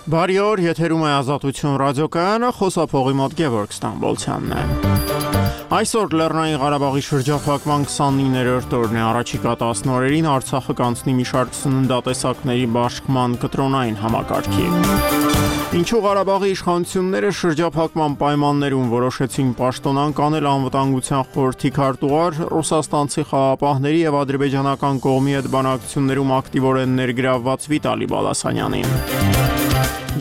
Բարի օր, եթերում է Ազատություն ռադիոկայանը, խոսափողի մոտ Գևորգ Ստամբոլցյանն է։ Այսօր Լեռնային Ղարաբաղի շրջափակման 29-րդ օրն է, առաջիկա 10 օրերին Արցախը կանցնի մի շարք սննդատեսակների բաշխման կտրոնային համակարգի։ Ինչու Ղարաբաղի իշխանությունները շրջափակման պայմաններում որոշեցին պաշտոնանկ անել Անվտանգության խորհրդի քարտուղար ռուսաստանցի խաղաղապահների եւ ադրբեջանական կողմի հետ բանակցություններում ակտիվորեն ներգրավված Վիտալի Բալասանյանին։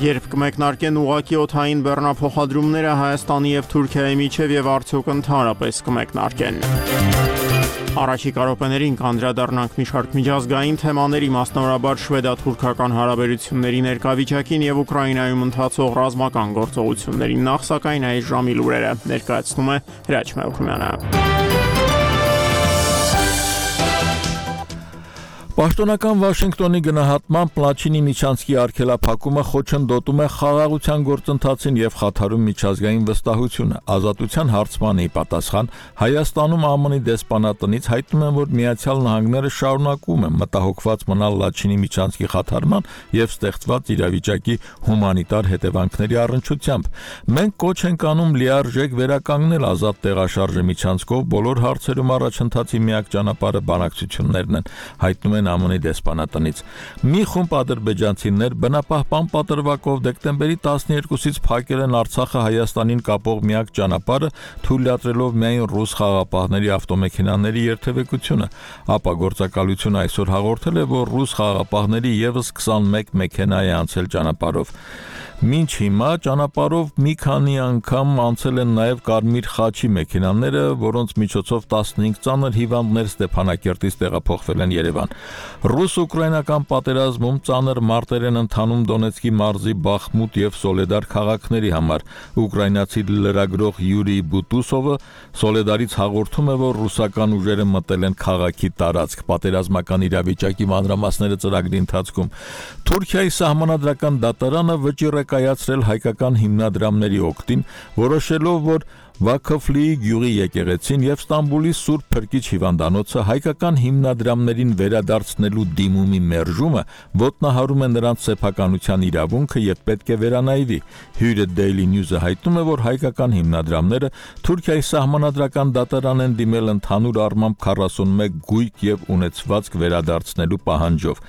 Երբ կմեկնարկեն ուղղակի օդային բեռնափոխադրումները Հայաստանի եւ Թուրքիայի միջև եւ արդյոք ընդհանրապես կմեկնարկեն։ Առաջիկա րոպեներին կանդրադառնանք մի շարք միջազգային թեմաների, մասնավորաբար շվեդա-թուրքական հարաբերությունների ներկայվիճակին եւ Ուկրաինայում ընթացող ռազմական գործողություններին, նախ սակայն այս ժամի լուրերը ներկայացնում է Հրաչ Մելքումյանը։ Պաշտոնական Վաշինգտոնի գնահատմամբ Լաչինի միջանցքի արգելափակումը խոչընդոտում է խաղաղության գործընթացին եւ խաթարում միջազգային վստահությունը։ Ազատության հարցմանի պատասխան Հայաստանում ԱՄՆ-ի դեսպանատնից հայտնում են, որ Միացյալ Նահանգները շարունակում են մտահոգված մնալ Լաչինի միջանցքի խաթարման եւ ստեղծված իրավիճակի հումանիտար հետևանքների առնչությամբ։ Մենք կոչ ենք անում լիարժեք վերականգնել ազատ տեղաշարժի միջանցքով բոլոր հարցերում առաջընթացի միակ ճանապարհը բանակցություններն են, հայտնում ԱՄՆ-ի դեսպանատնից։ Մի խումբ ադրբեջանցիներ բնապահպան պատրվակով դեկտեմբերի 12-ից փակել են Արցախը Հայաստանին կապող միակ ճանապարհը, թույլատրելով միայն ռուս խաղաղապահների ավտոմեքենաների երթևեկությունը, ապա գործակալությունը այսօր հաղորդել է, որ ռուս խաղաղապահների եւս 21 մեքենա է անցել ճանապարհով։ Մինչ հիմա ճանապարհով մի քանի անգամ անցել են նաև Կարմիր խաչի մեքենաները, որոնց միջոցով 15 ծանր հիվանդներ Ստեփանակերտից տեղափոխվել են Երևան։ Ռուս-ուկրաինական պատերազմում ծանր մարտեր են ընթանում Դոնեցկի մարզի Բախմուտ եւ Սոլեդար քաղաքների համար։ Ուկրաինացի լրագրող Յուրի Բուտուսովը Սոլեդարից հաղորդում է, որ ռուսական ուժերը մտել են քաղաքի տարածք։ Պատերազմական իրավիճակի մանրամասները ծրագրի ընթացքում։ Թուրքիայի սահմանադրական դատարանը վճիռ է կայացրել հայկական հիմնադրամների օգտին, որոշելով, որ Վաքոֆլիի գյուղի եկեղեցին եւ Ստամբուլի Սուրբ Փրկիչ հիվանդանոցը հայկական հիմնադրամներին վերադարձնելու դիմումի մերժումը ոտնահարում է նրանց սեփականության իրավունքը եւ պետք է վերանայվի։ Հյուրը Daily News-ը հայտնում է, որ հայկական հիմնադրամները Թուրքիայի սահմանադրական դատարան են դիմել ընդհանուր առմամբ 41 գույք եւ ունեցվածք վերադարձնելու պահանջով։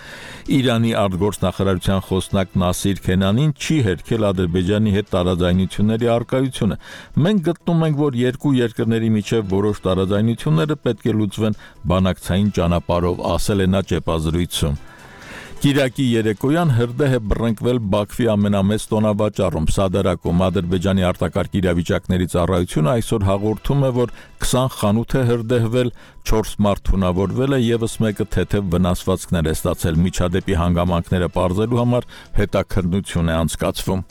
Իրանի արտգործնախարարության խոսնակ Նասիր Քենանին չի հերքել Ադրբեջանի հետ տարաձայնությունների առկայությունը։ Մենք գտնում ենք, որ երկու երկրների միջև որոշ տարաձայնությունները պետք է լուծվեն բանակցային ճանապարհով, ասել է նա ճեպազրույցում։ Կիրակի երեկոյան հրդեհ է բռնկվել Բաքվի ամենամեծ տոնավաճառում Սադարակում։ Ադրբեջանի արտակարգ իրավիճակների ծառայությունը այսօր հաղորդում է, որ 20 խանութ է հրդեհվել, 4 մարդ թունավորվել է, եւս մեկը թեթև վնասվածքներ է ստացել։ Միջադեպի հանգամանքները պարզելու համար հետաքննություն է անցկացվում։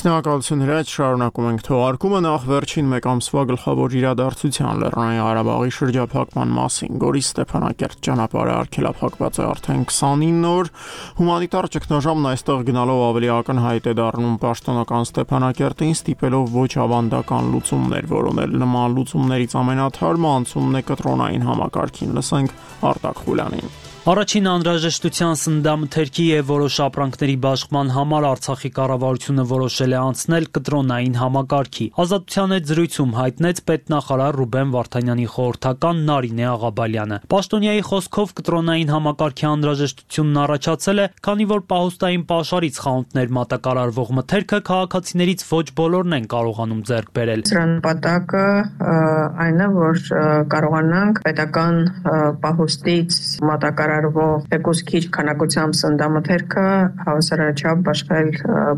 Շնորհակալություն Հրաչ, շարունակում ենք թողարկումը, նախ վերջին մեկ ամսվա գլխավոր իրադարձության Լեռնային Ղարաբաղի շրջափակման մասին։ Գորիս Ստեփանակերտ ճանապարհը արգելափակված է արդեն 29 օր, հումանիտար ճգնաժամն այստեղ գնալով ավելի ակնհայտ է դառնում պաշտոնական Ստեփանակերտին, ստիպելով ոչ ավանդական լուծումներ որոնել։ Նման լուծումներից ամենաթարմը անցումն է կտրոնային համակարգին, լսենք Արտակ Խուլյանին։ Առաջին անհրաժեշտության սննդամթերքի եւ որոշ ապրանքների բաշխման համար Արցախի կառավարությունը որոշել է անցնել կտրոնային համակարգի։ Ազատության հետ զրույցում հայտնեց պետնախարար Ռուբեն Վարդանյանի խորհրդական Նարինե Աղաբալյանը։ Պաշտոնյայի խոսքով կտրոնային համակարգի անհրաժեշտությունն առաջացել է, քանի որ պահուստային պաշարից խանութներ մատակարարվող մթերքը քաղաքացիներից ոչ բոլորն են կարողանում ձեռք բերել։ Սրան նպատակը այն է, որ կարողանանք պետական պահուստից մատակարարվող թեկուզ քիչ քանակությամբ սննդամթերքը հավասարաչափ բաշխել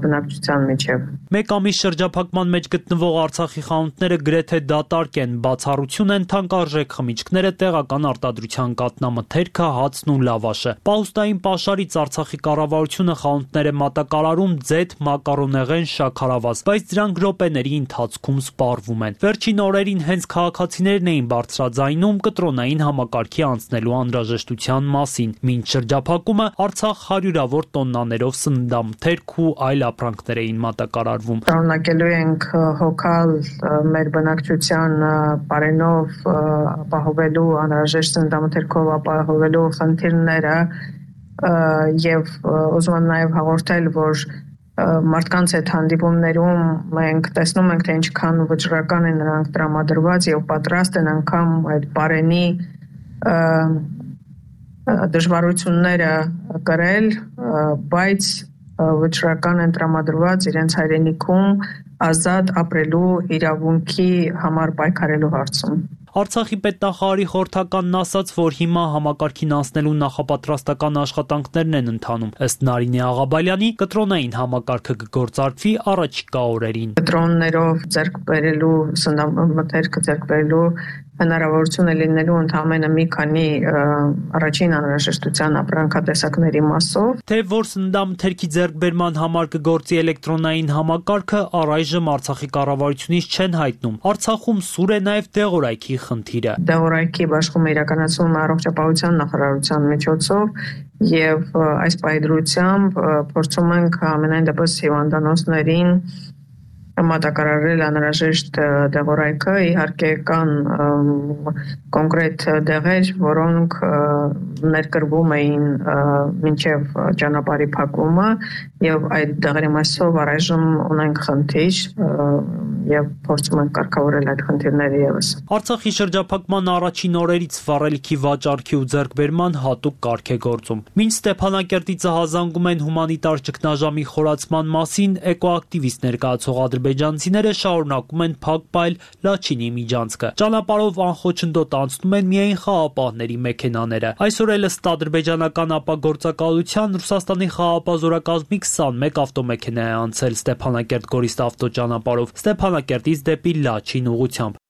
բնակչության միջև։ Մեկ ամիս շրջափակման մեջ գտնվող Արցախի խանութները գրեթե դատարկ են, բացառություն են թանկարժեք խմիչքները, տեղական արտադրության կատնամթերքը, հացն ու լավաշը։ Պահուստային պաշարից Արցախի կառավարությունը խանութներ է մատակարարում ձեթ, մակարոնեղեն, շաքարավազ, բայց դրանք րոպեների ընթացքում սպառվում են։ Վերջին օրերին հենց քաղաքացիներն էին բարձրաձայնում կտրոնային համակարգի անցնելու անհրաժեշտության մասին։ Մինչ շրջափակումը Արցախ հարյուրավոր տոննաներով սննդամթերք ու այլ ապրանքներ էին մատակարարվում։ Շարունակելու ենք հոգալ մեր բնակչության բարենով ապահովելու անհրաժեշտ սննդամթերքով ապահովելու խնդիրները եւ ուզում եմ նաեւ հաղորդել, որ մարդկանց այդ հանդիպումներում մենք տեսնում ենք, թե ինչքան վճռական են նրանք տրամադրված եւ պատրաստ են անգամ այդ բարենի դժվարությունները կրել, բայց վճռական են տրամադրված իրենց հայրենիքում ազատ ապրելու իրավունքի համար պայքարելու հարցում։ Արցախի պետնախարարի խորհրդականն ասաց, որ հիմա համակարգին անցնելու նախապատրաստական աշխատանքներն են ընթանում։ Ըստ Նարինե Աղաբալյանի, կտրոնային համակարգը կգործարկվի առաջիկա օրերին։ Կտրոններով ձեռք բերելու սննդամթերքը ձեռք բերելու հնարավորություն է լինելու ընդհանրապես մի քանի առաջին անհրաժեշտության ապրանքատեսակների մասով։ Թե որ սննդամթերքի ձեռքբերման համար կգործի էլեկտրոնային համակարգը, առայժմ Արցախի կառավարությունից չեն հայտնում։ Արցախում սուր է նաև դեղորայքի խնդիրը։ Դեղորայքի բաշխումը իրականացվում է առողջապահության նախարարության միջոցով եւ այս պայդրությամբ փորձում ենք ամենայն դեպս հիվանդանոցներին մատակարարել անհրաժեշտ դեղորայքը, իհարկե կան կոնկրետ դեղեր, որոնք ներկրվում էին մինչև ճանապարհի փակումը եւ այդ դեղերի մասով առայժմ ունենք խնդիր եւ փորձում ենք կարգավորել այդ խնդիրները եւս։ Արցախի շրջափակման առաջին օրերից վառելիքի վաճառքի ու ձեռքբերման հատուկ կարգ է գործում։ Մինչ Ստեփանակերտից հազանգում են հումանիտար ճգնաժամի խորացման մասին, էկոակտիվիստ ներկայացող ադրբեջանցիները շարունակում են փակ պայել Լաչինի միջանցքը։ Ճանապարհով անխոչնդոտ անցնում են միայն խաղապահների մեքենաները։ Այսօր էլ ըստ ադրբեջանական ապագործակալության Ռուսաստանի խաղապահ զորակազմի 21 ավտոմեքենա է անցել Ստեփանակերտ-Գորիստ ավտոճանապարհով Ստեփանակերտից դեպի Լաչին ուղղությամբ։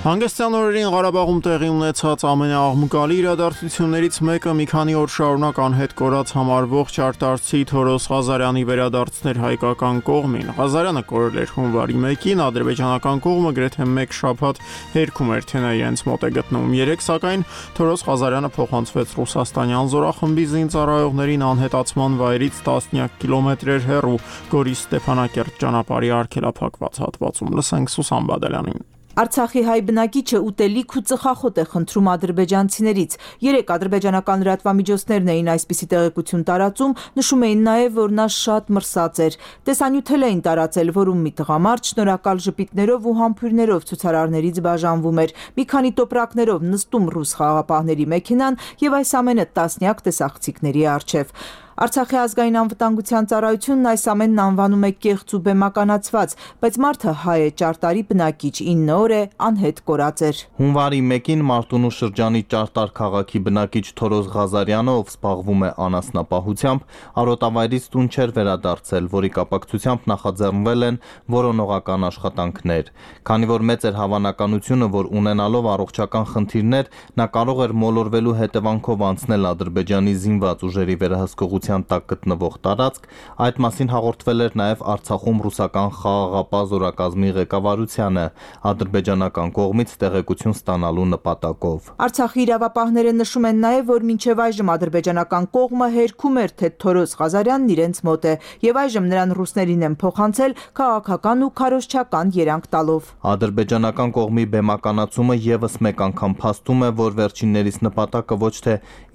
Հանգստյան օրերին Ղարաբաղում տեղի ունեցած ամենաաղմկալի իրադարձություններից մեկը մի քանի օր շարունակ անհետ կորած համարվող ճարտարցի Թորոս Ղազարյանի վերադարձն էր հայկական կողմին։ Ղազարյանը կորել էր հունվարի 1-ին, ադրբեջանական կողմը գրեթե մեկ շաբաթ հերքում էր, թե նա իրենց մոտ է գտնվում։ Երեկ սակայն Թորոս Ղազարյանը փոխանցվեց ռուսաստանյան զորախմբի զինծառայողներին անհետացման վայրից տասնյակ կիլոմետրեր հեռու Գորիս Ստեփանակերտ ճանապարհի արգելափակված հատվածում։ Լսենք Սուսան Բադալյանին։ Արցախի հայ բնակիչը ուտելիք ու ծխախոտ է խնդրում ադրբեջանցիներից։ Երեկ ադրբեջանական լրատվամիջոցներն էին այսպիսի տեղեկություն տարածում, նշում էին նաև, որ նա շատ մրսած էր։ Տեսանյութել էին տարածել, որում մի տղամարդ շնորհակալ ժպիտներով ու համբույրներով ցուցարարներից բաժանվում էր։ Մի քանի տոպրակներով նստում ռուս խաղապահների մեքենան եւ այս ամենը տասնյակ տեսախցիկների առջև։ Արցախի ազգային անվտանգության ծառայությունն այս ամենն անվանում է կեղծ ու բեմականացված, բայց մարդը հայ է, ճարտարի բնակիչ, 9 օր է անհետ կորած էր։ Հունվարի 1-ին Մարտունու շրջանի Ճարտար քաղաքի բնակիչ Թորոս Ղազարյանը, ով զբաղվում է անասնապահությամբ, արոտավայրից տուն չէր վերադարձել, որի կապակցությամբ նախաձեռնվել են որոնողական աշխատանքներ։ Քանի որ մեծ էր հավանականությունը, որ ունենալով առողջական խնդիրներ, նա կարող էր մոլորվելու հետևանքով անցնել Ադրբեջանի զինված ուժերի վերահսկողության տակ գտնվող տարածք, այդ մասին հաղորդվել էր նաև Արցախում ռուսական խաղաղապահ զորակազմի ղեկավարությանը ադրբեջանական կողմից տեղեկություն ստանալու նպատակով։ Արցախի իրավապահները նշում են նաև, որ մինչև այժմ ադրբեջանական կողմը հերքում էր, թե Թորոս Ղազարյանն իրենց մոտ է, եւ այժմ նրան ռուսներին են փոխանցել քաղաքական ու քարոզչական երանգ տալով։ Ադրբեջանական կողմի բեմականացումը եւս մեկ անգամ փաստում է, որ վերջիններիս նպատակը ոչ թե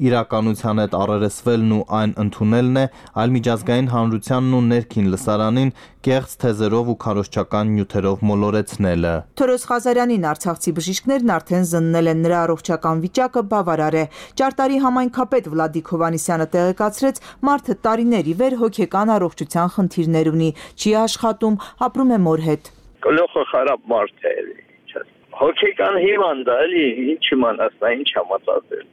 իրականության հետ առերեսվելն ու այն ընդունելն է, այլ միջազգային հանրությանն ու ներքին լսարանին կեղծ թեզերով ու քարոզչական նյութերով մոլորեցնելը։ Թորոս Ղազարյանին արցախցի բժիշկներն արդեն զննել են, նրա առողջական վիճակը բավարար է։ Ճարտարի համայնքապետ Վլադիկ Հովհաննիսյանը տեղեկացրեց, մարդը տարիներ ի վեր հոգեկան առողջության խնդիրներ ունի, չի աշխատում, ապրում է մոր հետ։ Գլուխը խարապ մարդ է, հոգեկան հիվանդ է, էլի ինչ իմանաս, ինչ համացածել։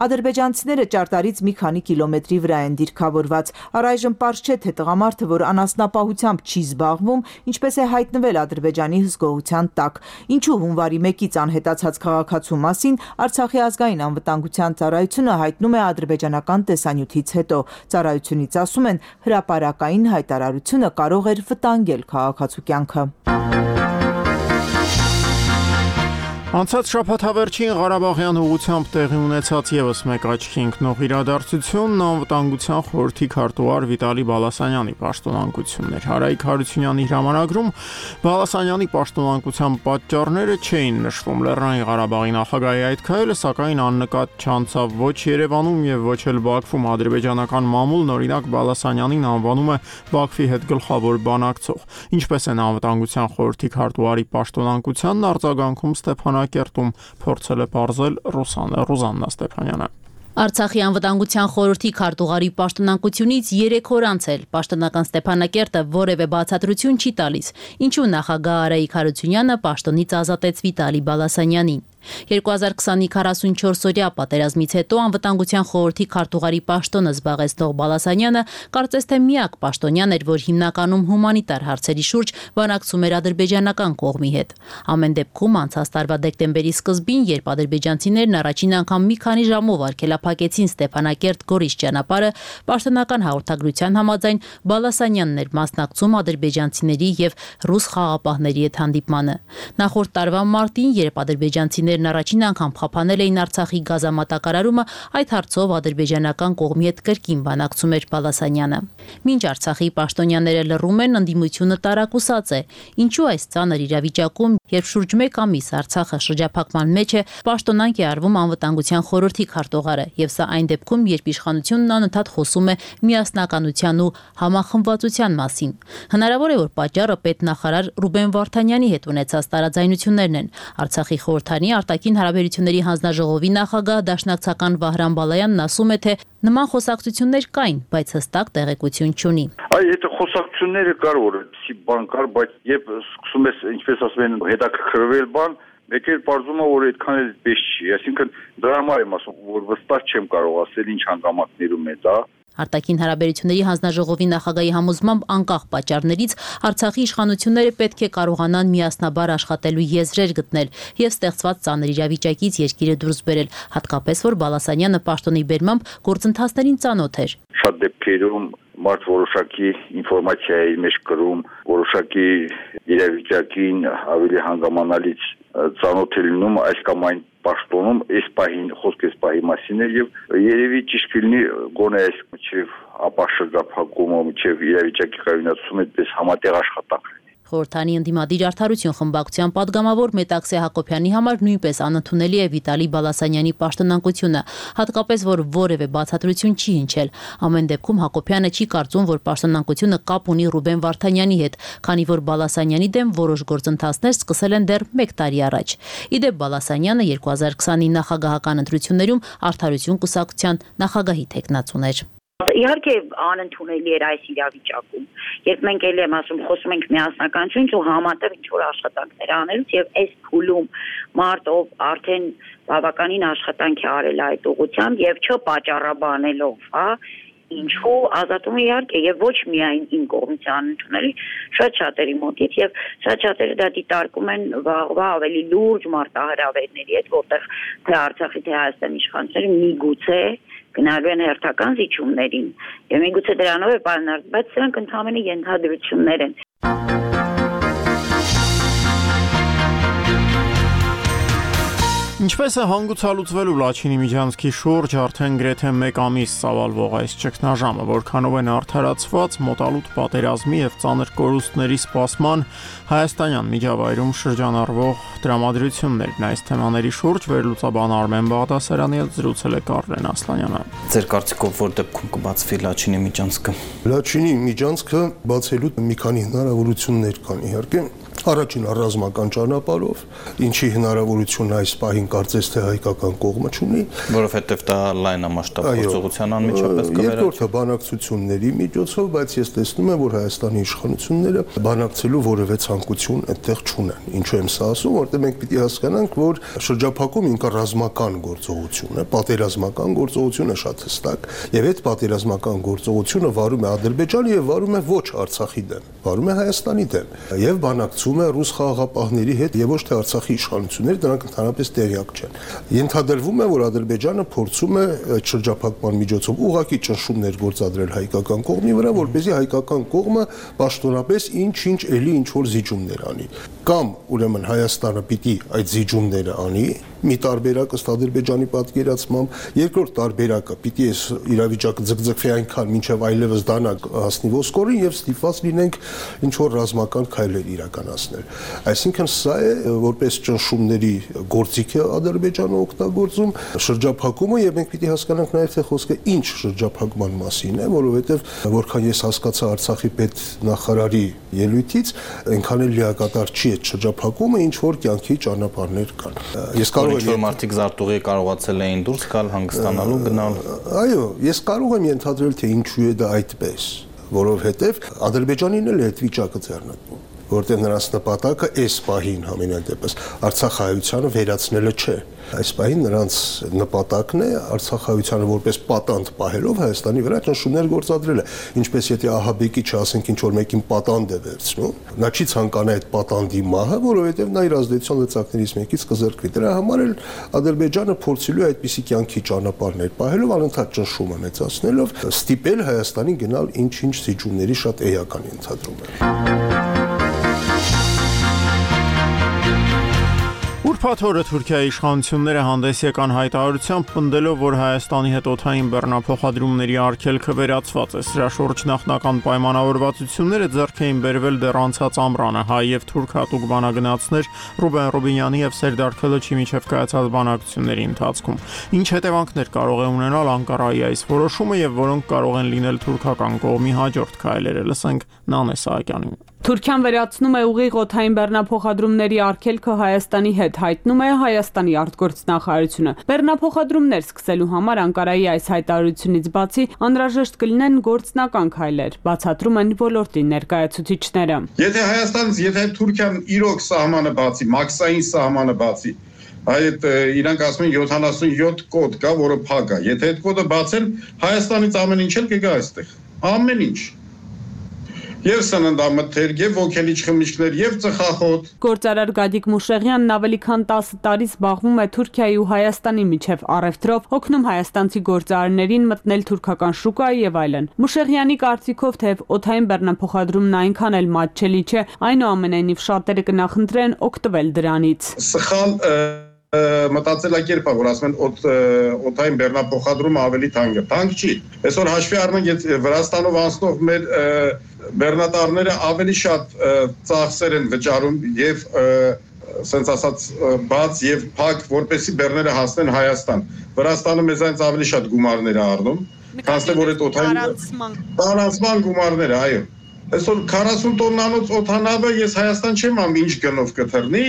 Ադրբեջանցիները ճարտարից մի քանի կիլոմետրի վրա են դիրքավորված։ Առայժմ պարզ չէ, թե տղամարդը, որ անասնապահությամբ չի զբաղվում, ինչպես է հայտնվել Ադրբեջանի հսկողության տակ։ Ինչու հունվարի 1-ից անհետացած քաղաքացու մասին Արցախի ազգային անվտանգության ծառայությունը հայտնում է ադրբեջանական տեսանյութից հետո։ Ծառայությունից ասում են, հրապարակային հայտարարությունը կարող էր վտանգել քաղաքացու կյանքը։ Անցած շաբաթավերջին Ղարաբաղյան ուղղությամբ տեղի ունեցած եւս մեկ աչքի ընկնող իրադարձությունն անվտանգության խորհրդի քարտուղար Վիտալի Բալասանյանի պաշտոնանկությունն էր։ Հարայիկ Հարությունյանի հրամանագրում Բալասանյանի պաշտոնանկության պատճառները չէին նշվում։ Լեռնային Ղարաբաղի նախագահի այդ քայլը սակայն աննկատ չանցավ ոչ Երևանում եւ ոչ էլ Բաքվում։ Ադրբեջանական մամուլն օրինակ Բալասանյանին անվանում է Բաքվի հետ գլխավոր բանակցող։ Ինչպես են անվտանգության խորհրդի քարտուղարի պաշտոնանկությանն արձագանքում Ստեփանակերտում փորձել է բարձել Ռուզաննա Ստեփանյանը։ Արցախի անվտանգության խորհրդի քարտուղարի պաշտոնանկությունից 3 օր անցել պաշտոնական Ստեփանակերտը որևէ բացատրություն չի տալիս, ինչու նախագահ Արայիկ Հարությունյանը պաշտոնից ազատեց Վիտալի Բալասանյանին։ 2020-ի 44-օրյա պատերազմից հետո անվտանգության խորհրդի քարտուղարի պաշտոնը զբաղեցնող Բալասանյանը կարծես թե միակ պաշտոնյան էր, որ հիմնականում հումանիտար հարցերի շուրջ բանակցում էր ադրբեջանական կողմի հետ։ Ամեն դեպքում անցած տարվա դեկտեմբերի սկզբին, երբ ադրբեջանցիներն առաջին անգամ մի քանի ժամով արգելափակեցին Ստեփանակերտ-Գորիս ճանապարհը, պաշտոնական հաղորդագրության համաձայն Բալասանյանն էր մասնակցում ադրբեջանցիների եւ ռուս խաղապահների հետ հանդիպմանը։ Նախորդ տարվա մարտին, երբ ադրբեջանցիներն առաջին անգամ խափանել էին Արցախի գազամատակարարումը, այդ հարցով ադրբեջանական կողմի հետ կրկին բանակցում էր Բալասանյանը։ Մինչ Արցախի պաշտոնյաները լռում են, ընդդիմությունը տարակուսած է։ Ինչու այս ծանր իրավիճակում, երբ շուրջ 1 ամիս Արցախը շրջափակման մեջ է, պաշտոնանկ է արվում անվտանգության խորհրդի քարտուղարը, եւ սա այն դեպքում, երբ իշխանությունն անընդհատ խոսում է միասնականության ու համախմբվածության մասին։ Հնարավոր է, որ պատճառը պետնախարար Ռուբեն Վարդանյանի հետ ունեցած տարաձայնություններն են։ Արցախի խորհրդանի արտաքին հարաբերությունների հանձնաժողովի նախագահ դաշնակցական Վահրամ Բալայանն ասում է, թե նման խոսակցություններ կային, բայց հստակ տեղեկություն չունի։ Այդ խոսակցությունները կար, որ բան կար, բայց երբ սկսում ես, ինչպես ասում են, հետաքրքրվել բան, մեկ էլ պարզում է, որ այդքան էլ պես չի։ Այսինքն դրա համար եմ ասում, որ վստահ չեմ կարող ասել ինչ հանգամանքներում է դա։ Արտաքին հարաբերությունների հանձնաժողովի նախագահի համոզմամբ անկախ պատճառներից Արցախի իշխանությունները պետք է կարողանան միասնաբար աշխատելու եզրեր գտնել եւ ստեղծված ծանր իրավիճակից երկիրը դուրս բերել, հատկապես որ Բալասանյանը պաշտոնի բերմամբ գործընթացներին ծանոթ էր։ Շատ դեպքերում մարդ որոշակի ինֆորմացիայի մեջ կրում, որոշակի իրավիճակին ավելի հանգամանալից ծանոթ է լինում այս կամ այն պաշտոնում, այս պահին խոսք այս պահի մասին է եւ երևի ճիշտ կլինի գոնե այս մինչեւ ապա շրջափակումը, մինչեւ իրավիճակի կայունացումը այդպես համատեղ աշխատանք։ Խորհրդանի ընդդիմադիր արդարություն խմբակցության падգամավոր Մետաքսե Հակոբյանի համար նույնպես անընդունելի է Վիտալի Բալասանյանի պաշտոնանկությունը, հատկապես որ որևէ բացատրություն չի հնչել։ Ամեն դեպքում Հակոբյանը չի կարծում, որ պաշտոնանկությունը կապ ունի Ռուբեն Վարդանյանի հետ, քանի որ Բալասանյանի դեմ որոշ գործընթացներ սկսել են դեռ 1 տարի առաջ։ Իդեպ Բալասանյանը 2020-ի նախագահական ընտրություններում Արդարություն կուսակցության նախագահի թեկնածուն էր։ Իհարկե անընդունելի էր այս իրավիճակում, երբ մենք ելի եմ ասում, խոսում ենք միասնականությունից ու համատեղ ինչ-որ աշխատանքներ անելուց եւ այս փուլում մարդ ով արդեն բավականին աշխատանք է արել այդ ուղղությամբ եւ չպատճառաբանելով, ինչու ազատումը իհարկե եւ ոչ միայն իմ կողմից անընդունելի, շատ շատերի մոտից եւ շատ շատերը դա դիտարկում են վաղվա ավելի լուրջ մարտահրավերների հետ, որտեղ թե Արցախի թե Հայաստանի իշխանությունները միգուցե գնալու են հերթական զիջումներին եւ միգուցե դրանով է պայմանավորված, բայց սրանք ընդհանրապես ենթադրություններ են։ Ինչպես է հանգուցալուծվելու Լաչինի միջանցքի շուրջ արդեն գրեթե 1 ամիս ծավալվող այս ճգնաժամը, որքանով են արդարացված մոտալուտ պատերազմի եւ ծանր կորուստների սպասման հայաստանյան միջավայրում շրջանառվող դրամատրություններն այս թեմաների շուրջ վերլուծաբան Արմեն Բաղդասարյանի հետ զրուցել է Կարլեն Ասլանյանը։ Ձեր կարծիքով որ դեպքում կբացվի Լաչինի միջանցքը։ Լաչինի միջանցքը բացելու մի քանի հնարավորություններ կան իհարկե։ Առաջին ռազմական ճանապարհով, ինչի հնարավորություն այս պահին կարծես թե հայկական կողմը չունի, որովհետև դա լայնամասշտաբ գործողության անմիջապես կվերածվի։ Երկրորդը բանակցությունների միջոցով, բայց ես տեսնում եմ, որ Հայաստանի իշխանությունները բանակցելու որևէ ցանկություն այդտեղ չունեն։ Ինչու եմ սա ասում, որտեղ մենք պիտի հասկանանք, որ շրջափակում ինքը ռազմական գործողություն է, պատերազմական գործողություն է շատ հստակ, եւ այդ պատերազմական գործողությունը վարում է Ադրբեջանը եւ վարում է ոչ Արցախի դեմ, վարում է Հայաստանի դեմ եւ բանակցում է ռուս խաղաղապահների հետ եւ ոչ թե Արցախի իշխանությունները, դրանք ընդհանրապես տեղյակ չեն։ Ենթադրվում է, որ Ադրբեջանը փորձում է այդ շրջափակման միջոցով ուղղակի ճնշումներ գործադրել հայկական կողմի վրա, որպեսզի հայկական կողմը պաշտոնապես ինչ-ինչ էլի ինչ-որ զիջումներ անի։ Կամ ուրեմն Հայաստանը պիտի այդ զիջումները անի, մի տարբերակ ըստ Ադրբեջանի պատկերացմամբ, երկրորդ տարբերակը պիտի այս իրավիճակը ձգձգվի այնքան, մինչև այլևս դանակ հասնի ոսկորին եւ ստիպված լինենք ինչ որ ռազմական քայլեր իրականացնել։ Այսինքն սա է որպես ճնշումների գործիք է Ադրբեջանը օգտագործում շրջափակումը եւ մենք պիտի հասկանանք նաեւ թե խոսքը ինչ շրջափակման մասին է, որովհետեւ որքան ես հասկացա Արցախի պետնախարարի ելույթից, այնքան էլ լիակատար չի այդ շրջափակումը, ինչ որ կյանքի ճանապարհներ կան։ Ես կարող եմ մարդիկ զարտուղի կարողացել էին դուրս գալ, հանգստանալու, գնալ։ Այո, ես կարող եմ ենթադրել, թե ինչու է դա այդպես, որովհետև Ադրբեջանին էլ այդ վիճակը ձեռնտվում, որտեղ նրանց նպատակը այս պահին համենայն դեպս Արցախահայությանը վերացնելը չէ։ Այս պահին նրանց նպատակն է Արցախահայությանը որպես պատանդ պահելով Հայաստանի վրա ճնշումներ գործադրելը, ինչպես եթե ահաբեկիչը ասենք ինչ որ մեկին պատանդ է վերցնում, նա չի ցանկանա այդ պատանդի մահը, որովհետև նա իր ազդեցության լծակներից մեկից կզրկվի։ Դրա համար էլ Ադրբեջանը փորձելու է այդպիսի կյանքի ճանապարհներ պահելով անընդհատ ճնշումը մեծացնելով ստիպել Հայաստանին գնալ ինչ-ինչ զիջումների շատ էական ենթադրում է։ Ուրբաթ օրը Թուրքիայի իշխանությունները հանդես եկան հայտարարությամբ պնդելով, որ Հայաստանի հետ օդային բեռնափոխադրումների արգելքը վերացված է։ Սրա շուրջ նախնական պայմանավորվածությունները ձեռք էին բերվել դեռ անցած ամռանը հայ եւ թուրք հատուկ բանագնացներ Ռուբեն Ռուբինյանի եւ Սերդար Քելեչի միջև կայացած բանակցությունների ընթացքում։ Ինչ հետևանքներ կարող է ունենալ Անկարայի այս որոշումը եւ որոնք կարող են լինել թուրքական կողմի հաջորդ քայլերը։ Լսենք Նանե Սահակյանին։ Թուրքիան վերացնում է ուղիղ օդային բեռնափոխադրումների արգելքը Հայաստանի հետ, հայտնում է Հայաստանի արտգործնախարարությունը։ Բեռնափոխադրումներ սկսելու համար Անկարայի այս հայտարարությունից բացի անհրաժեշտ կլինեն գործնական քայլեր, բացատրում են ոլորտի ներկայացուցիչները։ Եթե Թուրքիան իրոք սահմանը բացի, մաքսային սահմանը բացի, այդ իրանք ասում են 77 կոդ կա, որը փակ է։ Եթե այդ կոդը բացեն, Հայաստանից ամեն ինչ էլ կգա այստեղ։ Ամեն ինչ։ Եվ սննդամթերք, եւ ոգելիչ խմիչքներ, եւ ծխախոտ։ Գործարար Գադիկ Մուշեղյանն ավելի քան 10 տարի զբաղվում է Թուրքիայի ու Հայաստանի միջև առևտրով, օգնում հայաստանցի գործարարներին մտնել թուրքական շուկա եւ այլն։ Մուշեղյանի կարծիքով թեև օդային բեռնափոխադրումն այնքան էլ մատչելի չէ, այնուամենայնիվ շատերը կնախընտրեն օգտվել դրանից։ Սխալ մտածելակերպ է, որ ասում են օդային բեռնափոխադրումը ավելի թանկ է։ Թանկ չի։ Այսօր հաշվի առնենք, Վրաստանով անցնող մեր բեռնատարները ավելի շատ ծախսեր են վճարում եւ սենց ասած բաց եւ փակ, որպեսի բեռները հասնեն Հայաստան։ Վրաստանը մեզանից ավելի շատ գումարներ է առնում, քան որ այդ օդային տարանցման գումարները, այո։ Այսօր 40 տոննանոց օդանավը ես Հայաստան չեմ ամ ինչ գնով կթռնի,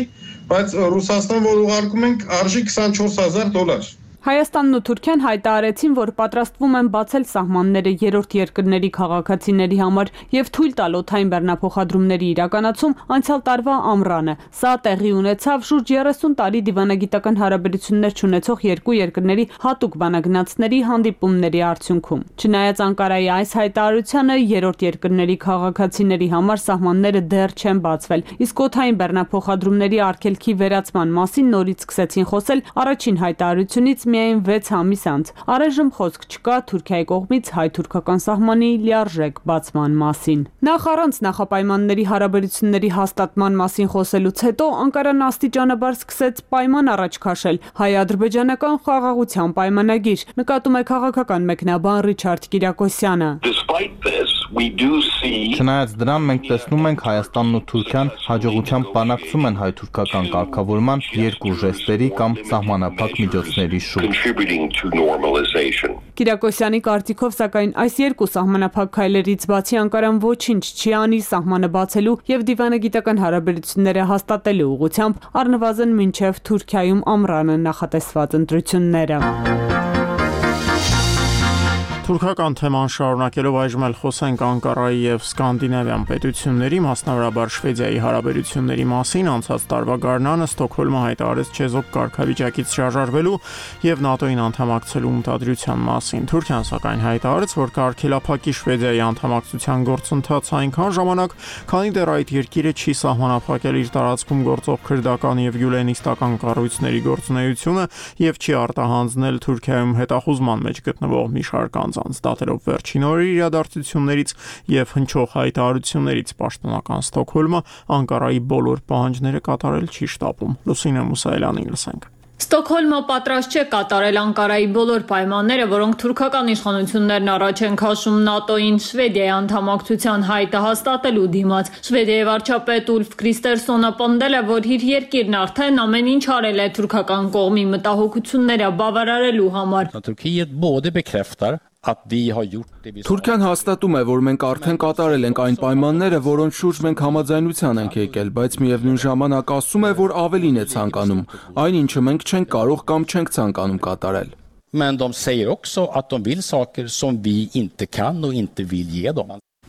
բայց Ռուսաստան որ ուղարկում ենք արժի $24,000։ Հայաստանն ու Թուրքիան հայտարարեցին, որ պատրաստվում են բացել սահմանները երրորդ երկրների քաղաքացիների համար եւ թույլ տալ օդային բեռնափոխադրումների իրականացում անցյալ տարվա ամռանը։ Սա տեղի ունեցավ շուրջ 30 տարի դիվանագիտական հարաբերություններ չունեցող երկու երկրների հատուկ բանագնացների հանդիպումների արդյունքում։ Չնայած Անկարայի այս հայտարարությանը երրորդ երկրների քաղաքացիների համար սահմանները դեռ չեն բացվել, իսկ օդային բեռնափոխադրումների արգելքի վերացման մասին նորից սկսեցին խոսել առաջին հայտարարությունից միայն 6 ամիս անց։ Առայժմ խոսք չկա Թուրքիայի կողմից հայ-թուրքական սահմանի լիարժեք բացման մասին։ Նախ առանց նախապայմանների հարաբերությունների հաստատման մասին խոսելուց հետո Անկարան աստիճանաբար սկսեց պայման առաջ քաշել հայ-ադրբեջանական խաղաղության պայմանագիր, նկատում է քաղաքական մեկնաբան Ռիչարդ Կիրակոսյանը։ Չնայած դրան մենք տեսնում ենք Հայաստանն ու Թուրքիան հաջողությամբ բանակցում են հայ-թուրքական կարգավորման երկու ժեստերի կամ սահմանափակ միջոցների շուրջ։ Կիրակոսյանի կարծիքով սակայն այս երկու սահմանափակ քայլերից բացի Անկարան ոչինչ չի անի սահմանը բացելու եւ դիվանագիտական հարաբերությունները հաստատելու ուղղությամբ առնվազն մինչեւ Թուրքիայում ամռանը նախատեսված ընտրությունները։ Թուրքական թեման շարունակելով այժմ էլ խոսենք Անկարայի եւ Սկանդինավյան պետությունների, մասնավորաբար Շվեդիայի հարաբերությունների մասին։ Անցած տարվա գարնանը Ստոկհոլմը հայտարարեց չեզոք կարգավիճակից հրաժարվելու եւ ՆԱՏՕ-ին անդամակցելու մտադրության մասին։ Թուրքիան սակայն հայտարարեց, որ կարգելափակի Շվեդիայի անդամակցության գործընթացը այնքան ժամանակ, քանի դեռ այդ երկիրը չի սահմանափակել իր տարածքում գործող քրդական եւ գյուլենիստական կառույցների գործունեությունը եւ չի արտահանձնել Թուրքիայում հետախուզման մեջ գտնվող մի շարք անձանց։ անձանց, դատելով վերջին օրերի իրադարձություններից եւ հնչող հայտարարություններից պաշտոնական Ստոկհոլմը Անկարայի բոլոր պահանջները կատարել չի շտապում։ Լուսինե Մուսայելյանին լսենք։ Ստոկհոլմը պատրաստ չէ կատարել Անկարայի բոլոր պայմանները, որոնք թուրքական իշխանություններն առաջ են քաշում ՆԱՏՕ-ին Շվեդիայի անդամակցության հայտը հաստատելու դիմաց։ Շվեդիայի վարչապետ Ուլֆ Քրիստերսոնը պնդել է, որ իր երկիրն արդեն ամեն ինչ արել է թուրքական կողմի մտահոգությունները բավարարելու համար։ Թուրքիան հաստատում է, որ մենք արդեն կատարել ենք այն պայմանները, որոնց շուրջ մենք համաձայնության ենք եկել, բայց միևնույն ժամանակ ասում է, որ ավելին է ցանկանում, այն ինչը մենք չենք կարող կամ չենք ցանկանում կատարել։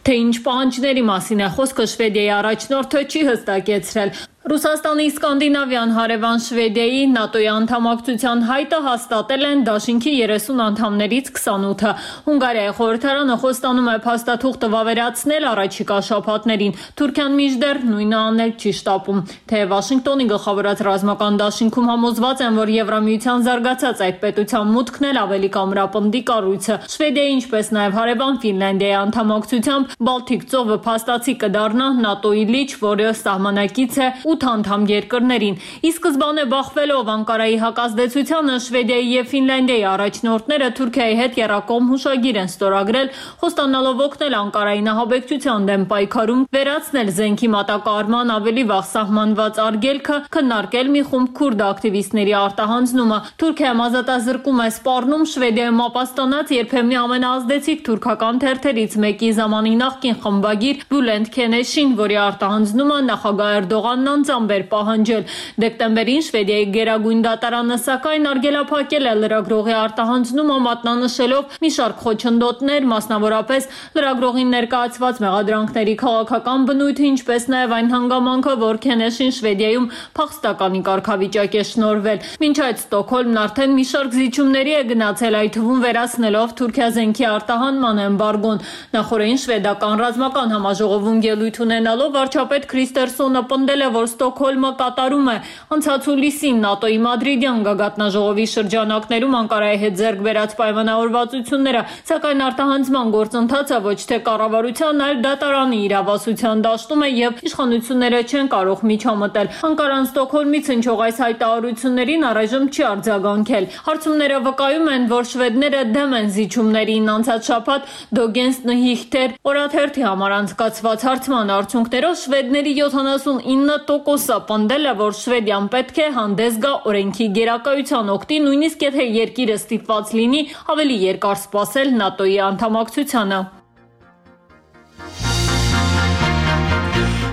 Թե ինչ պահանջների մասին է խոսքը Շվեդիայի առաջնորդը չի հստակեցրել։ Ռուսաստանի Սկանդինավյան հարևան Շվեդիայի ՆԱՏՕ-ի անդամակցության հայտը հաստատել են դաշինքի 30 անդամներից 28-ը։ Հունգարիայի խորհրդարանը խոստանում է փաստաթուղթը վավերացնել առաջիկա շաբաթներին։ Թուրքիան մինչդեռ նույնը անել չի շտապում։ Թեև Վաշինգտոնի գլխավորած ռազմական դաշինքում համոզված են, որ Եվրամիության զարգացած այդ պետության մուտքն էլ ավելի կամրապնդի կառույցը։ Շվեդիայի, ինչպես նաև հարևան Ֆինլանդիայի անդամակցությամբ Բալթիկ ծովը փաստացի կդառնա ՆԱՏՕ-ի լիճ, որը սահմանակից է 8 անդամ երկրներին։ Ի սկզբանե բախվելով Անկարայի հակազդեցությանը Շվեդիայի եւ Ֆինլանդիայի առաջնորդները Թուրքիայի հետ եռակողմ հուշագիր են ստորագրել, խոստանալով օգնել Անկարայի նահաբեկչության դեմ պայքարում, վերացնել զենքի մատակարարման ավելի վաղ սահմանված արգելքը, քննարկել մի խումբ քուրդ ակտիվիստների արտահանձնումը։ Թուրքիայում ազատազրկում է սպառնում Շվեդիայում ապաստանած երբեմնի ամենաազդեցիկ թուրքական թերթերից մեկի ժամանի նախկին խմբագիր Բյուլենտ Քենեշին, որի արտահանձնումը նախագահ Էրդողանն անձամբ էր պահանջել։ Դեկտեմբերին Շվեդիայի գերագույն դատարանը սակայն արգելափակել է լրագրողի արտահանձնումը, մատնանշելով մի շարք խոչընդոտներ, մասնավորապես լրագրողին ներկայացված մեղադրանքների քաղաքական բնույթը, ինչպես նաև այն հանգամանքը, որ Քենեշին Շվեդիայում փախստականի կարգավիճակ է շնորհվել։ Մինչ այդ Ստոկհոլմն արդեն մի շարք զիջումների է գնացել, այդ թվում վերացնելով Թուրքիա զենքի արտահանման էմբարգոն։ Նախորդին շվեդական ռազմական համաժողովում ելույթ ունենալով վարչապետ Քրիստերսոնը պնդել է, որ Ստոկհոլմը կատարում է անցած հուլիսին ՆԱՏՕ-ի Մադրիդյան գագաթնաժողովի շրջանակներում Անկարայի հետ ձեռք բերած պայմանավորվածությունները, սակայն արտահանձնման գործընթացը ոչ թե կառավարության, այլ դատարանի իրավասության դաշտում է եւ իշխանությունները չեն կարող միջամտել։ Անկարան Ստոկհոլմից հնչող այս հայտարարություններին առայժմ չի արձագանքել։ Հարցումները վկայում են, որ շվեդները դեմ են զիջումներին։ Անցած շաբաթ Դոգենս Նհիհտեր օրաթերթի համար անցկացված հարցման արդյունքներով շվեդների 79%-ը պնդել է, որ Շվեդիան պետք է հանդես գա օրենքի գերակայության օգտի, նույնիսկ եթե երկիրը ստիպված լինի ավելի երկար սպասել ՆԱՏՕ-ի անդամակցությանը։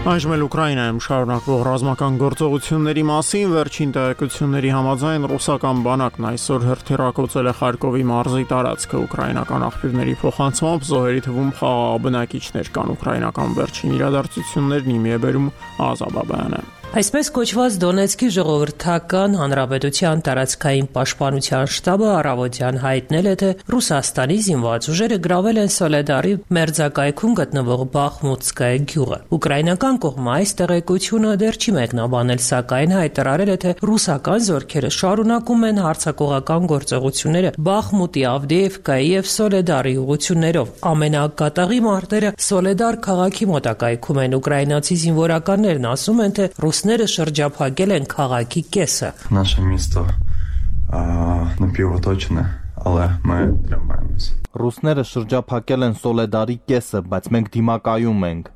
Այժմ էլ Ուկրաինայում շարունակվող ռազմական գործողությունների մասին վերջին տեղեկությունների համաձայն ռուսական բանակն այսօր հրթիռակոծել է Խարկովի մարզի տարածքը։ Ուկրաինական աղբյուրների փոխանցմամբ զոհերի թվում խաղաղ բնակիչներ կան։ Ուկրաինական վերջին իրադարձություններն իմի է բերում Ազաբաբայանը։ Այսպես կոչված Դոնեցկի ժողովրդական հանրապետության տարածքային պաշտպանության շտաբը առավոտյան հայտնել է, թե Ռուսաստանի զինված ուժերը գրավել են Սոլեդարի մերձակայքում գտնվող Բախմուտսկայ գյուղը։ Ուկրաինական կողմը այս տեղեկությունը դեռ չի մեկնաբանել, սակայն հայտարարել է, թե ռուսական զորքերը շարունակում են հարձակողական գործողությունները Բախմուտի, Ավդեևկայի եւ Սոլեդարի ուղություններով։ Ամենակատաղի մարտերը Սոլեդար քաղաքի մոտակայքում են։ Ուկրաինացի զինվորականներն ասում են, թե Ռուսները շրջափակել են քաղաքի կեսը։ Наше місто напівоточене, але ми тримаємось։ Ռուսները շրջափակել են Սոլեդարի կեսը, բայց մենք դիմակայում ենք։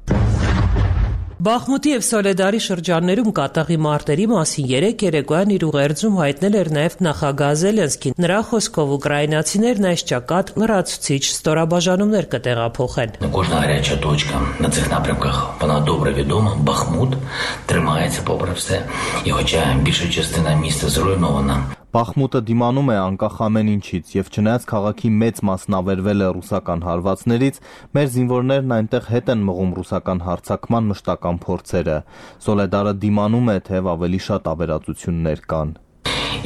Բախմուտի եւ Սոլեդարի շրջաններում կատաղի մարտերի մասին երեք երեկոյան իր ուղերձում հայտնել էր նաեւ նախագահ Զելենսկին։ Նրա խոսքով ուկրաինացիներն այս ճակատ լրացուցիչ ստորաբաժանումներ կտեղափոխեն։ Кожна гаряча точка на цих напрямках, вона добре відома. Бахмут тримається попри все. І хоча більша частина міста зруйнована. Բախմուտը դիմանում է անկախ ամեն ինչից եւ չնայած քաղաքի մեծ մասն ավերվել է ռուսական հարվածներից, մեր զինվորներն այնտեղ հետ են մղում ռուսական հարձակման մշտական փորձերը։ Սոլեդարը դիմանում է, թեև ավելի շատ ավերածություններ կան։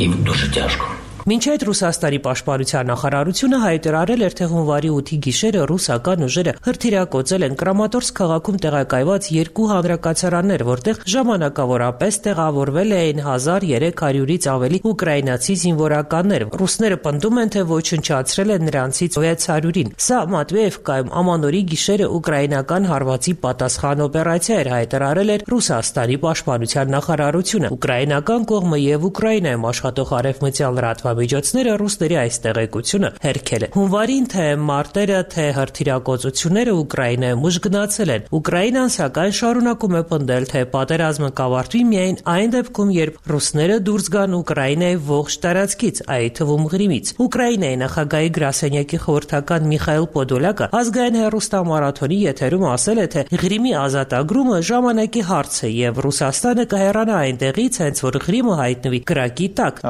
І дуже тяжко. Մինչ այդ Ռուսաստանի պաշտպանության նախարարությունը հայտարարել էր, թե հունվարի 8-ի գիշերը ռուսական ուժերը հրթիռակոծել են Կրամատորսկ քաղաքում տեղակայված 2 հանրակացարաններ, որտեղ ժամանակավորապես տեղավորվել էին 1300-ից ավելի ուկրաինացի զինվորականներ։ Ռուսները պնդում են, թե ոչնչացրել են նրանցից 600-ին։ Սա Մատվեևկայում ամանորի գիշերը ուկրաինական հարվածի պատասխան օպերացիա էր, հայտարարել էր Ռուսաստանի պաշտպանության նախարարությունը։ Ուկրաինական կողմը եւ Ուկրաինայում աշխատող արևմտյան լրատվամիջոցները ռուսների այս տեղեկությունը հերքել են։ Հունվարին թե մարտերը, թե հրթիռակոծությունները Ուկրաինայում ուժգնացել են։ Ուկրաինան սակայն շարունակում է պնդել, թե պատերազմը կավարտվի միայն այն դեպքում, երբ ռուսները դուրս գան Ուկրաինայի ողջ տարածքից, այդ թվում Ղրիմից։ Ուկրաինայի նախագահի գրասենյակի խորհրդական Միխայիլ Պոդոլյակը ազգային հեռուստամարաթոնի եթերում ասել է, թե Ղրիմի ազատագրումը ժամանակի հարց է եւ Ռուսաստանը կհեռանա այնտեղից, հենց որ Ղրիմը հայտնվի կրակի տակ։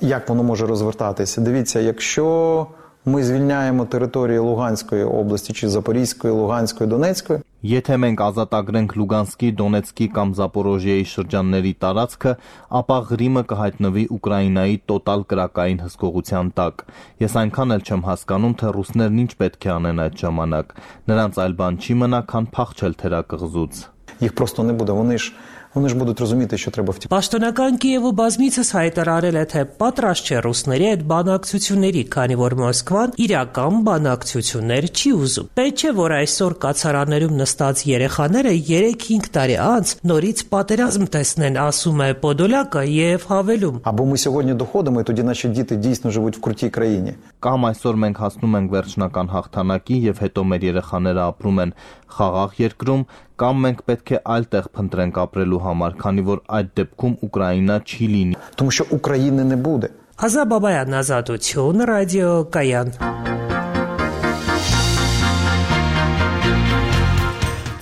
Як воно може розвертатися? Дивіться, якщо ми звільняємо території Луганської області чи Запорізької, Луганської, Донецької. Եթե մենք ազատագրենք Լուգանսկի, Դոնեցկի կամ Զապորոժիայի շրջանների տարածքը, ապա Ղրիմը կհայտնվի Ուկրաինայի տոտալ կրակային հսկողության տակ։ Ես այնքան էլ չեմ հասկանում, թե ռուսներն ինչ պետք է անեն այդ ժամանակ։ Նրանց այլ բան չի մնա, քան փախչել թերակղզուց։ Їх просто не буде, вони ж будуть розуміти, що треба втікати. Պաշտոնական Կիևը բազմիցս հայտարարել է, թե պատրաստ չէ ռուսների այդ բանակցությունների, քանի որ Մոսկվան իրական բանակցություններ չի ուզում։ Պետք չէ, որ այսօր կացարաններում նստած երեխաները 3-5 տարի անց նորից պատերազմ տեսնեն, ասում է Պոդոլյակը եւ հավելում. Або ми сьогодні доходимо, і тоді наші діти дійсно живуть в крутій країні. Կամ այսօր մենք հասնում ենք վերջնական հաղթանակի եւ հետո մեր երեխաները ապրում են խաղաղ երկրում, կամ մենք պետք է այլ տեղ փնտրենք ապրելու համար, քանի որ այդ դեպքում Ուկրաինա չի լինի։ Тому що України не буде. Ազատ Բաբայան, Ազատություն, ռադիո Կայան։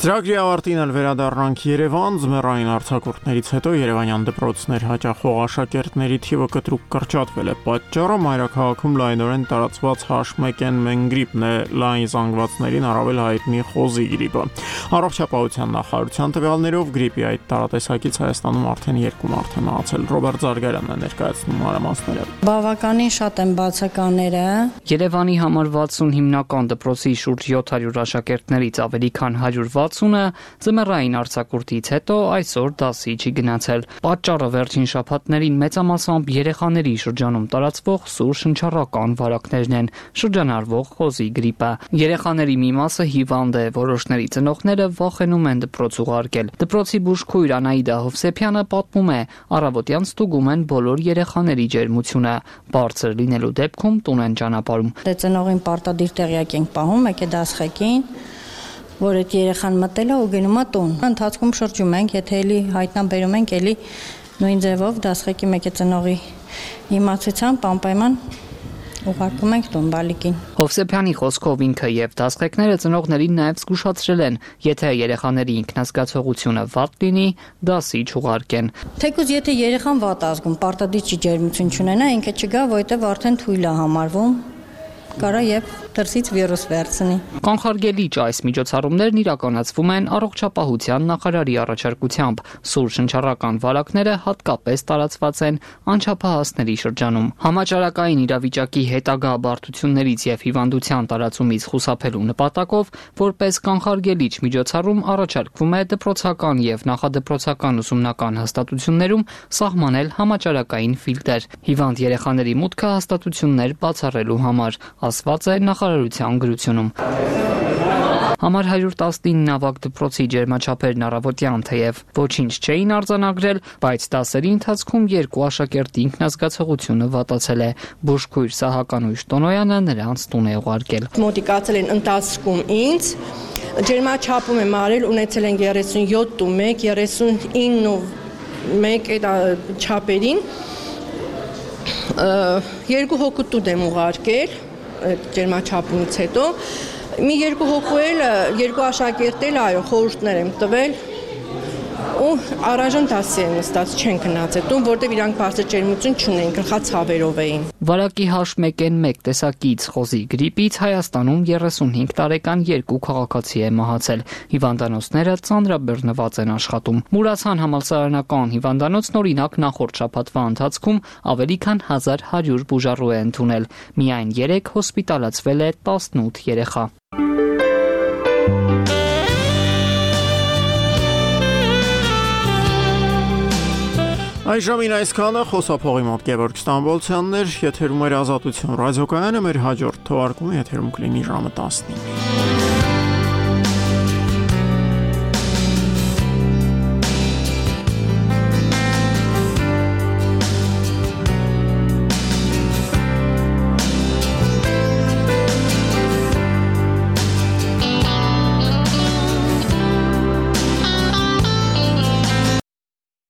Ծրագրի ավարտին էլ վերադառնանք Երևան, ձմեռային արձակուրդներից հետո երևանյան դպրոցներ հաճախող աշակերտների թիվը կտրուկ կրճատվել է։ Պատճառը մայրաքաղաքում լայնորեն տարածված H1N1 գրիպն է, լայն զանգվածներին առավել հայտնի խոզի գրիպը։ Առողջապահության նախարարության տվյալներով գրիպի այդ տարատեսակից Հայաստանում արդեն 2 մարդ է մահացել։ Ռոբերտ Զարգարյանն է ներկայացնում մանրամասները։ Բավականին շատ են բացականները։ Երևանի համար 60 հիմնական դպրոցի շուրջ 700 աշակերտներից ավելի քան 160-ը ձմեռային արձակուրդից հետո այսօր դասի չի գնացել։ Պատճառը վերջին շաբաթներին մեծամասամբ երեխաների շրջանում տարածվող սուր շնչառական վարակներն են, շրջանառվող խոզի գրիպը։ Երեխաների մի մասը հիվանդ է, որոշների ծնողները վախենում են դպրոց ուղարկել։ Դպրոցի բուժքույր Անահիտա Հովսեփյանը պատմում է, առավոտյան ստուգում են բոլոր երեխաների ջերմությունը, բարձր լինելու դեպքում տուն են ճանապարհում։ Դե ծնողին պարտադիր տեղյակ ենք պահում, եկե դասղեկին, որ այդ երեխան մտել է ու գնում է տուն։ Ընթացքում շրջում ենք, եթե էլի հայտնաբերում ենք, էլի նույն ձևով դասղեկի մեկը ծնողի իմացությամբ անպայման ուղարկում ենք տուն բալիկին։ Հովսեփյանի խոսքով ինքը եւ դասղեկները ծնողներին նաեւ զգուշացրել են, եթե երեխաների ինքնազգացողությունը վատ լինի, դասի չուղարկեն։ Թեկուզ եթե երեխան վատ ազգում, պարտադիր չի ջերմություն չունենա, ինքը չգա, որովհետեւ արդեն թույլ է համարվում, կարա եւ դրսից վիրուս վերցնի։ Կանխարգելիչ այս միջոցառումներն իրականացվում են առողջապահության նախարարի առաջարկությամբ։ Սուր շնչառական վարակները հատկապես տարածված են անչափահասների շրջանում։ Համաճարակային իրավիճակի հետագա բարդություններից եւ հիվանդության տարածումից խուսափելու նպատակով, որպես կանխարգելիչ միջոցառում առաջարկվում է դպրոցական եւ նախադպրոցական ուսումնական հաստատություններում սահմանել համաճարակային ֆիլտր։ Հիվանդ երեխաների մուտքը հաստատություններ բացառելու համար, ասված է նախարարության գրությունում։ Համար 119 ավագ դպրոցի ջերմաչափերն առավոտյան թեև ոչինչ չէին արձանագրել, բայց դասերի ընթացքում 2 աշակերտի ինքնազգացողությունը վատացել է։ Բուժքույր Սահականույշ Տոնոյանը նրանց տուն է ուղարկել։ Մոտիկացել են ընթացքում ինձ, ջերմաչափում եմ արել, ունեցել են 37.1, 39.1 այդ չափերին։ 2 հոգու տուն եմ ուղարկել ջերմաչափումից հետո մի 2 հոգու էլ 2 աշակերտ էլ այո խորհուրդներ եմ տվել ու առայժմ դասի են նստած, չեն գնացել տուն, որտեղ իրանք բարձր ջերմություն չունեն, գլխացավերով էին։ Վարակի H1N1 տեսակից խոզի գրիպից Հայաստանում 35 տարեկան 2 քաղաքացի է մահացել։ Հիվանդանոցները ծանրաբեռնված են աշխատում։ Մուրացան համալսարանական հիվանդանոցն օրինակ նախորդ շաբաթվա ընթացքում ավելի քան 1100 բուժառու է ընդունել։ Միայն 3 հոսպիտալացվել է 18 երեխա։ Այժմին այսքանը խոսափողի մոտ Գևորգ Ստամբոլցյանն էր, եթերում էր Ազատություն ռադիոկայանը, մեր հաջորդ թողարկումը եթերում կլինի ժամը 15-ին։